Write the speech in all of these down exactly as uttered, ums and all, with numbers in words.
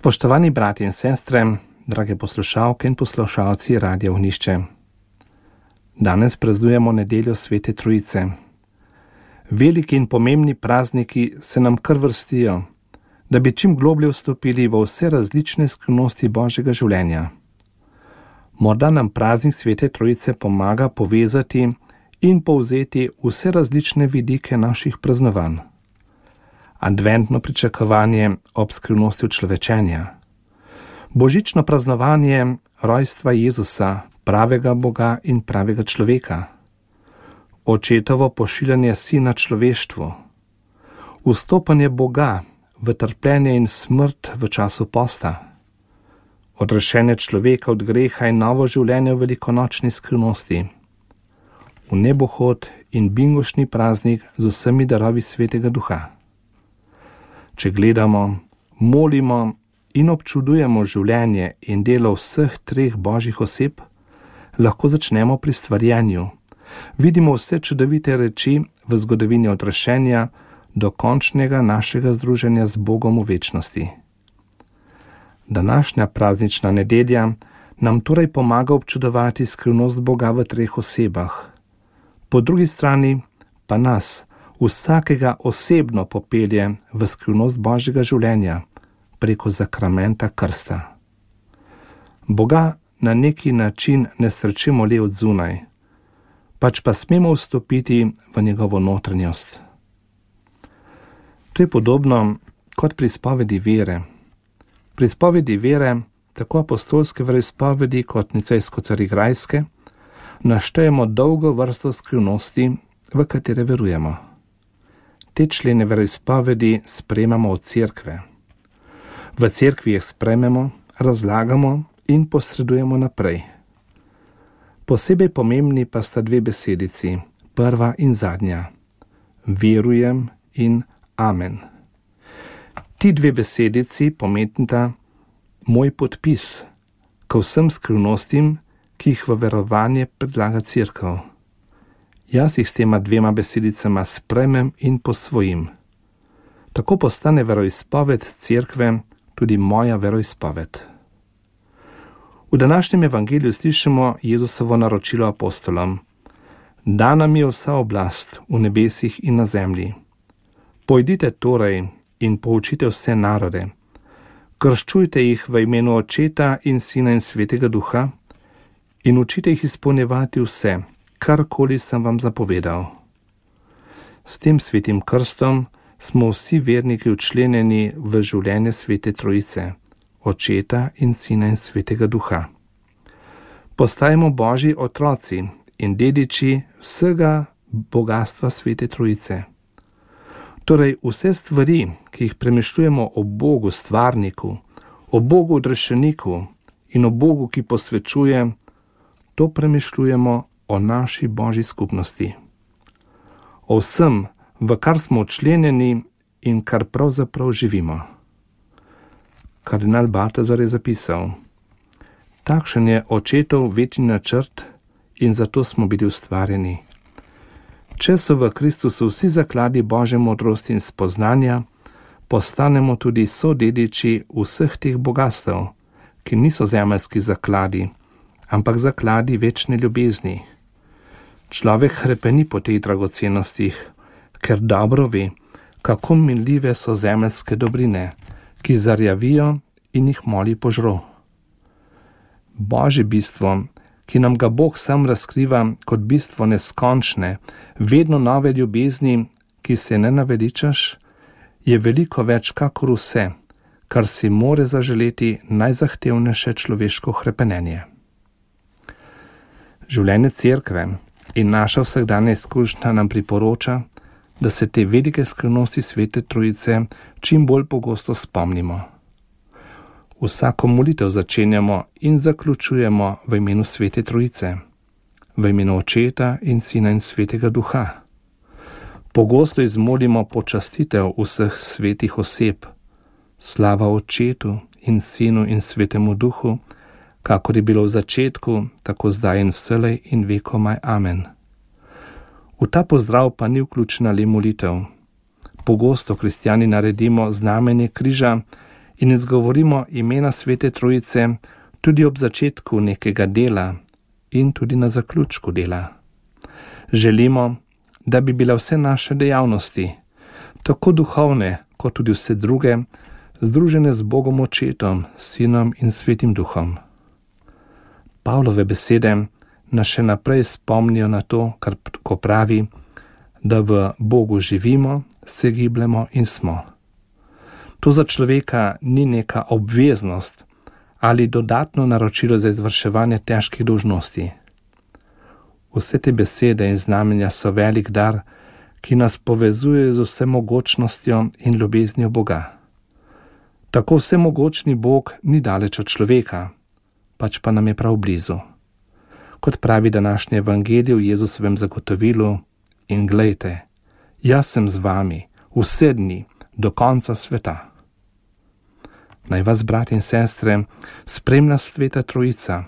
Spoštovani bratje in sestre, drage poslušalke in poslušalci Radia Ognjišče. Danes praznujemo nedeljo Svete Trojice. Veliki in pomembni prazniki se nam kar vrstijo, da bi čim globlje vstopili v vse različne skrivnosti Božjega življenja. Morda nam praznik Svete Trojice pomaga povezati in povzeti vse različne vidike naših praznovanj. Adventno pričakovanje ob skrivnosti človečenja, božično praznovanje rojstva Jezusa, pravega Boga in pravega človeka, očetovo pošiljanje sina človeštvu, vstopanje Boga v trpljenje in smrt v času posta, odrešenje človeka od greha in novo življenje v velikonočni skrivnosti, v nebohod in bingošni praznik z vsemi darovi Svetega Duha. Če gledamo, molimo in občudujemo življenje in delo vseh treh Božjih oseb, lahko začnemo pri stvarjenju. Vidimo vse čudovite reči v zgodovini odrešenja do končnega našega združenja z Bogom v večnosti. Današnja praznična nedelja nam torej pomaga občudovati skrivnost Boga v treh osebah. Po drugi strani pa nas, vsakega osebno popelje v skrivnost Božjega življenja preko zakramenta krsta. Boga na neki način ne srečimo le od zunaj, pač pa smemo vstopiti v njegovo notranjost. To je podobno kot pri izpovedi vere. Pri izpovedi vere, tako apostolske veroizpovedi kot nicejsko-carigrajske, naštejemo dolgo vrsto skrivnosti, v katere verujemo. Te člene veroizpovedi sprejemamo od cerkve. V cerkvi jih sprejmemo, razlagamo in posredujemo naprej. Posebej pomembni pa sta dve besedici, prva in zadnja. Verujem in amen. Ti dve besedici pomenita moj podpis k vsem skrivnostim, ki jih v verovanje predlaga cerkev. Jaz jih s tema dvema besedicama sprejmem in posvojim. Tako postane veroizpoved cerkve tudi moja veroizpoved. V današnjem evangeliju slišimo Jezusovo naročilo apostolom. Dana mi je vsa oblast v nebesih in na zemlji. Pojdite torej in poučite vse narode. Krščujte jih v imenu Očeta in Sina in Svetega Duha in učite jih izpolnjevati vse, karkoli sem vam zapovedal. S tem svetim krstom smo vsi verniki včlenjeni v življenje Svete Trojice, Očeta in Sina in Svetega Duha. Postajamo Božji otroci in dediči vsega bogastva Svete Trojice. Torej vse stvari, ki jih premišljujemo o Bogu stvarniku, o Bogu odrešeniku in o Bogu, ki posvečuje, to premišljujemo o naši Božji skupnosti. O vsem, v kar smo včlenjeni in kar pravzaprav živimo. Kardinal Baltazar je zapisal: takšen je Očetov večni načrt in zato smo bili ustvarjeni. Če so v Kristusu vsi zakladi Božje modrosti in spoznanja, postanemo tudi sodediči vseh teh bogastev, ki niso zemeljski zakladi, ampak zakladi večne ljubezni. Človek hrepeni po teh dragocenostih, ker dobro ve, kako minljive so zemeljske dobrine, ki zarjavijo in jih moli požro. Božje bistvo, ki nam ga Bog sam razkriva kot bistvo neskončne, vedno nove ljubezni, ki se ne naveličaš, je veliko več kakor vse, kar si more zaželeti najzahtevnejše človeško hrepenenje. Življenje cerkve in naša vsakdanja izkušnja nam priporoča, da se te velike skrivnosti Svete Trojice čim bolj pogosto spomnimo. Vsako molitev začenjamo in zaključujemo v imenu Svete Trojice, v imenu Očeta in Sina in Svetega Duha. Pogosto izmolimo počastitev vseh svetih oseb, slava Očetu in Sinu in Svetemu Duhu, kakor je bilo v začetku, tako zdaj in vselej in vekomaj. Amen. V ta pozdrav pa ni vključena le molitev. Pogosto kristjani naredimo znamenje križa in izgovorimo imena Svete Trojice tudi ob začetku nekega dela in tudi na zaključku dela. Želimo, da bi bile vse naše dejavnosti, tako duhovne kot tudi vse druge, združene z Bogom Očetom, Sinom in Svetim Duhom. Pavlove besede nas še naprej spomnijo na to, kar ko pravi, da v Bogu živimo, se gibljemo in smo. To za človeka ni neka obveznost ali dodatno naročilo za izvrševanje težkih dolžnosti. Vse te besede in znamenja so velik dar, ki nas povezuje z vsemogočnostjo in ljubeznijo Boga. Tako vsemogočni Bog ni daleč od človeka, pač pa nam je prav blizu. Kot pravi današnje evangelije v Jezusovem zagotovilu, in glejte, jaz sem z vami vse dni do konca sveta. Naj vas, brat in sestre, spremlja Sveta Trojica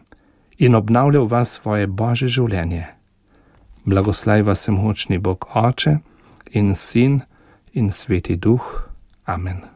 in obnavlja v vas svoje Božje življenje. Blagoslaj vas vsemogočni Bog Oče in Sin in Sveti Duh. Amen.